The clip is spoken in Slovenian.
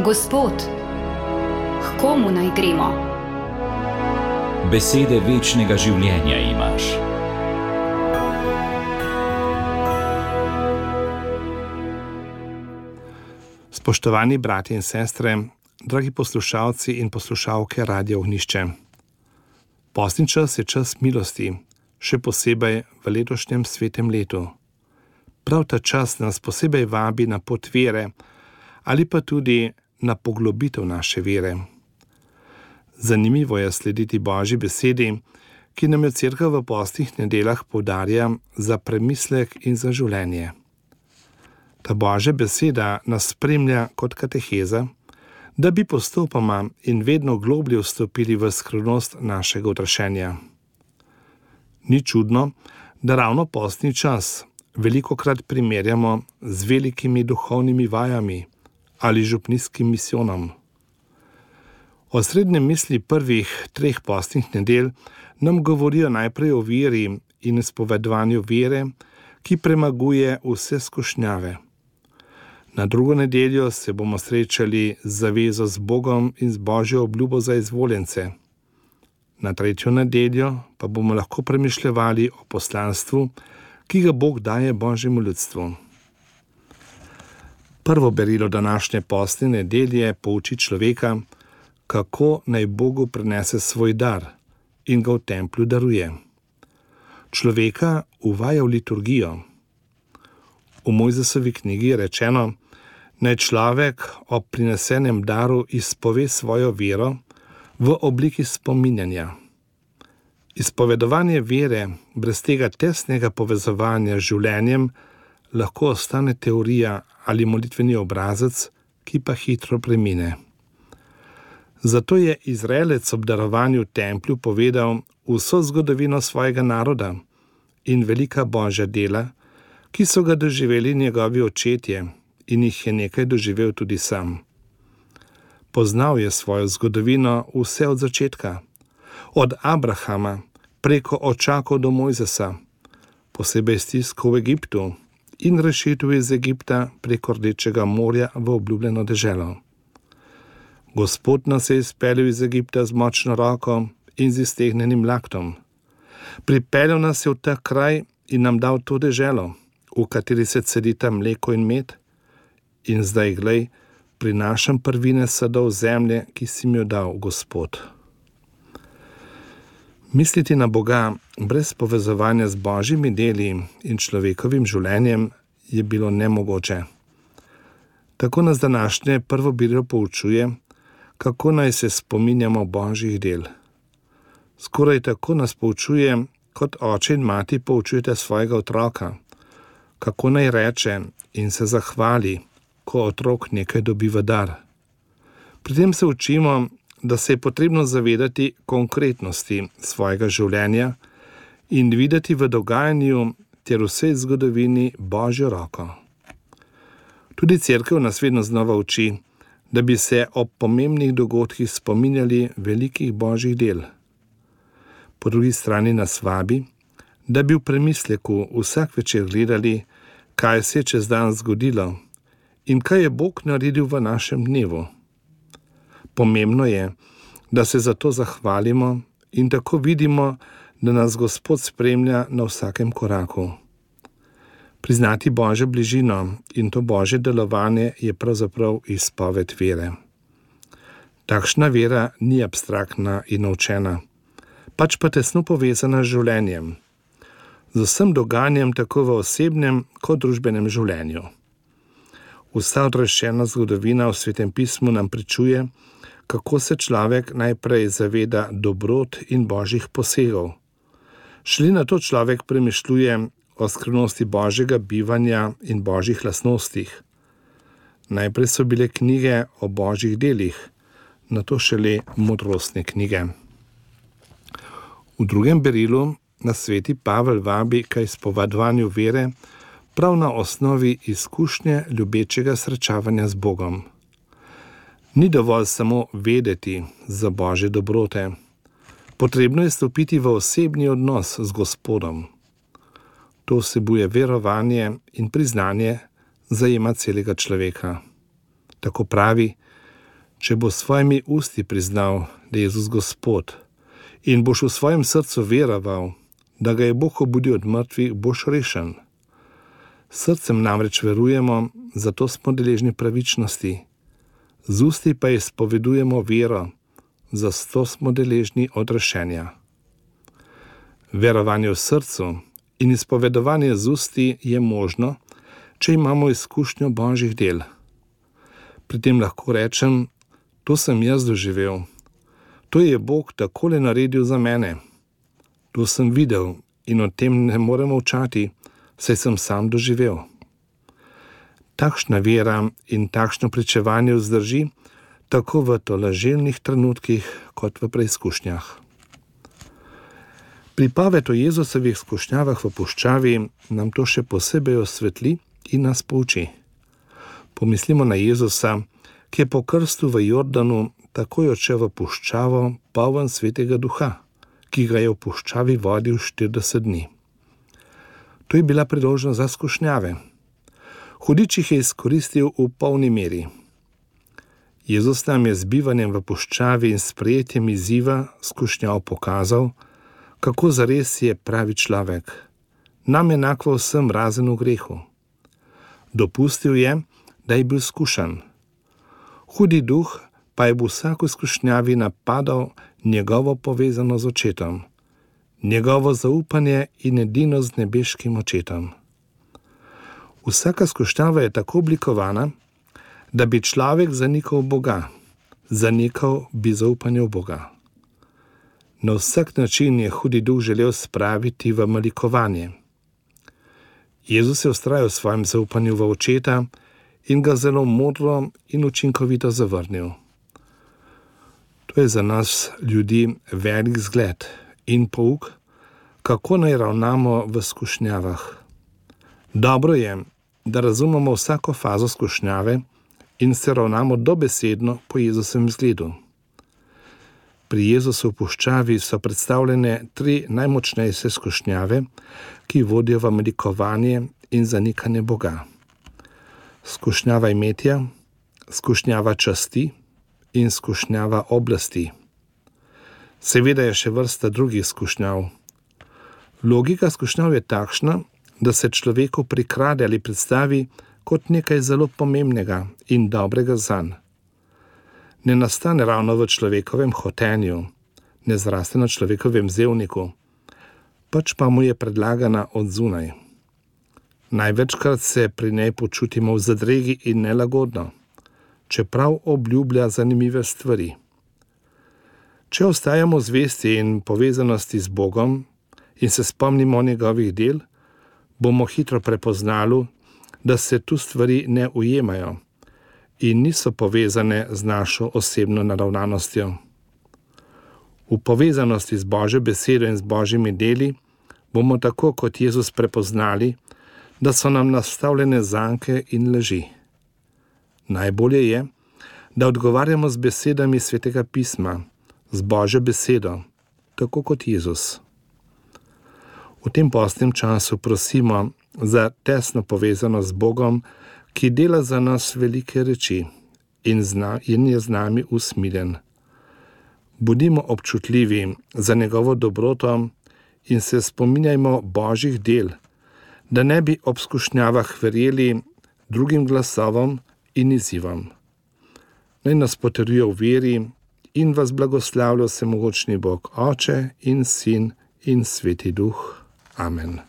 Gospod, k komu naj gremo? Besede večnega življenja imaš. Spoštovani bratje in sestre, dragi poslušalci in poslušalke Radia Ognjišče. Postni čas je čas milosti, še posebej v letošnjem svetem letu. Prav ta čas nas posebej vabi na pot vere ali pa tudi na poglobitev naše vere. Zanimivo je slediti Božji besedi, ki nam jo Cerkev v postnih nedeljah poudarja za premislek in za življenje. Ta Božja beseda nas spremlja kot kateheza, da bi postopoma in vedno globlje vstopili v skrivnost našega odraščenja. Ni čudno, da ravno postni čas velikokrat primerjamo z velikimi duhovnimi vajami ali župnijskim misijonom. Osrednje misli prvih 3 postnih nedelj nam govorijo najprej o veri in izpovedovanju vere, ki premaguje vse skušnjave. Na drugo nedeljo se bomo srečali z zavezo z Bogom in z Božjo obljubo za izvoljence. Na tretjo nedeljo pa bomo lahko premišljevali o poslanstvu, ki ga Bog daje Božjemu ljudstvu. Prvo berilo današnje postne nedelje pouči človeka, kako naj Bogu prinese svoj dar in ga v templju daruje. Človeka uvaja v liturgijo. V Mojzesovi knjigi je rečeno, naj človek ob prinesenem daru izpove svojo vero v obliki spominjanja. Izpovedovanje vere brez tega tesnega povezovanja z življenjem lahko ostane teorija ali molitveni obrazec, ki pa hitro premine. Zato je Izraelec ob darovanju v templju povedal vso zgodovino svojega naroda in velika Božja dela, ki so ga doživeli njegovi očetje in jih je nekaj doživel tudi sam. Poznal je svojo zgodovino vse od začetka, od Abrahama preko očakov do Mojzesa, posebej stisko v Egiptu in rešitev iz Egipta preko Rdečega morja v obljubljeno deželo. Gospod nas je izpeljal iz Egipta z močno roko in z iztegnenim laktom. Pripeljal nas je v ta kraj in nam dal to deželo, v kateri se cedita mleko in med, in zdaj glej, prinašam prvine sadov zemlje, ki si mi jo dal, Gospod. Misliti na Boga brez povezovanja z Božjimi deli in človekovim življenjem je bilo nemogoče. Tako nas današnje prvo berilo poučuje, kako naj se spominjamo Božjih del. Skoraj tako nas poučuje, kot oče in mati poučujete svojega otroka, kako naj reče in se zahvali, ko otrok nekaj dobi v dar. Pri tem se učimo, da se je potrebno zavedati konkretnosti svojega življenja in videti v dogajanju ter vsej zgodovini Božjo roko. Tudi Cerkev nas vedno znova uči, da bi se ob pomembnih dogodkih spominjali velikih Božjih del. Po drugi strani nas vabi, da bi v premisleku vsak večer gledali, kaj se je čez dan zgodilo in kaj je Bog naredil v našem dnevu. Pomembno je, da se za to zahvalimo in tako vidimo, da nas Gospod spremlja na vsakem koraku. Priznati Božjo bližino in to Božje delovanje je pravzaprav izpoved vere. Takšna vera ni abstraktna in naučena, pač pa tesno povezana z življenjem, z vsem dogajanjem tako v osebnem kot družbenem življenju. Vsa odraščena zgodovina v Svetem pismu nam pričuje, kako se človek najprej zaveda dobrot in Božjih posegov. Šele nato človek premišljuje o skrivnosti Božjega bivanja in Božjih lastnostih. Najprej so bile knjige o Božjih delih, nato šele modrostne knjige. V drugem berilu nas sveti Pavel vabi k izpovedovanju vere prav na osnovi izkušnje ljubečega srečavanja z Bogom. Ni dovolj samo vedeti za Božje dobrote. Potrebno je stopiti v osebni odnos z Gospodom. To vsebuje verovanje in priznanje zajema celega človeka. Tako pravi, Če bo s svojimi usti priznal, da je Jezus Gospod, in boš v svojem srcu veroval, da ga je Bog obudil od mrtvih, boš rešen. Srcem namreč verujemo, zato smo deležni pravičnosti. Z usti pa izpovedujemo vero, zato smo deležni odrešenja. Verovanje v srcu in izpovedovanje z usti je možno, če imamo izkušnjo Božjih del. Pri tem lahko rečem, to sem jaz doživel. To je Bog takole naredil za mene. To sem videl in o tem ne morem molčati, saj sem sam doživel. Takšna vera in takšno pričevanje vzdrži tako v tolažilnih trenutkih kot v preizkušnjah. Pripoved o Jezusovih izkušnjavah v puščavi nam to še posebej osvetli in nas pouči. Pomislimo na Jezusa, ki je po krstu v Jordanu takoj odšel v puščavo poln Svetega Duha, ki ga je v puščavi vodil 40 dni. To je bila priložnost za skušnjave. Hudič jih je izkoristil v polni meri. Jezus nam je z bivanjem v puščavi in sprejetjem izziva skušnjav pokazal, kako zares je pravi človek, nam enako vsem razen v grehu. Dopustil je, da je bil skušan. Hudi duh pa je v vsako skušnjavi napadal njegovo povezano z očetom, njegovo zaupanje in edino z nebeškim očetom. Vsaka skušnjava je tako oblikovana, da bi človek zanikal Boga, zanikal bi zaupanje v Boga. Na vsak način je hudi duh želel spraviti v malikovanje. Jezus je vztrajal v svojem zaupanju v očeta in ga zelo modro in učinkovito zavrnil. To je za nas ljudi velik zgled in pouk, kako naj ravnamo v skušnjavah. Dobro je, da razumemo vsako fazo skušnjave in se ravnamo dobesedno po Jezusovem zgledu. Pri Jezusu v puščavi so predstavljene 3 najmočnejše skušnjave, ki vodijo v malikovanje in zanikanje Boga. Skušnjava imetja, skušnjava časti in skušnjava oblasti. Seveda je še vrsta drugih skušnjav. Logika skušnjav je takšna, da se človeku prikrade ali predstavi kot nekaj zelo pomembnega in dobrega zanj. Ne nastane ravno v človekovem hotenju, ne zraste na človekovem zevniku, pač pa mu je predlagana od zunaj. Največkrat se pri njej počutimo v zadregi in nelagodno, čeprav obljublja zanimive stvari. Če ostajamo zvesti in povezanosti z Bogom in se spomnimo njegovih del, bomo hitro prepoznali, da se tu stvari ne ujemajo in niso povezane z našo osebno naravnanostjo. V povezanosti z Božjo besedo in z Božjimi deli bomo tako kot Jezus prepoznali, da so nam nastavljene zanke in laži. Najbolje je, da odgovarjamo z besedami Svetega pisma, z Božjo besedo, tako kot Jezus. V tem postnem času prosimo za tesno povezanost z Bogom, ki dela za nas velike reči in je z nami usmiljen. Bodimo občutljivi za njegovo dobroto in se spominjajmo Božjih del, da ne bi ob skušnjavah verjeli drugim glasovom in izzivom. Naj nas potrjuje v veri in vas blagoslavlja vsemogočni Bog, Oče in Sin in Sveti Duh. Amen.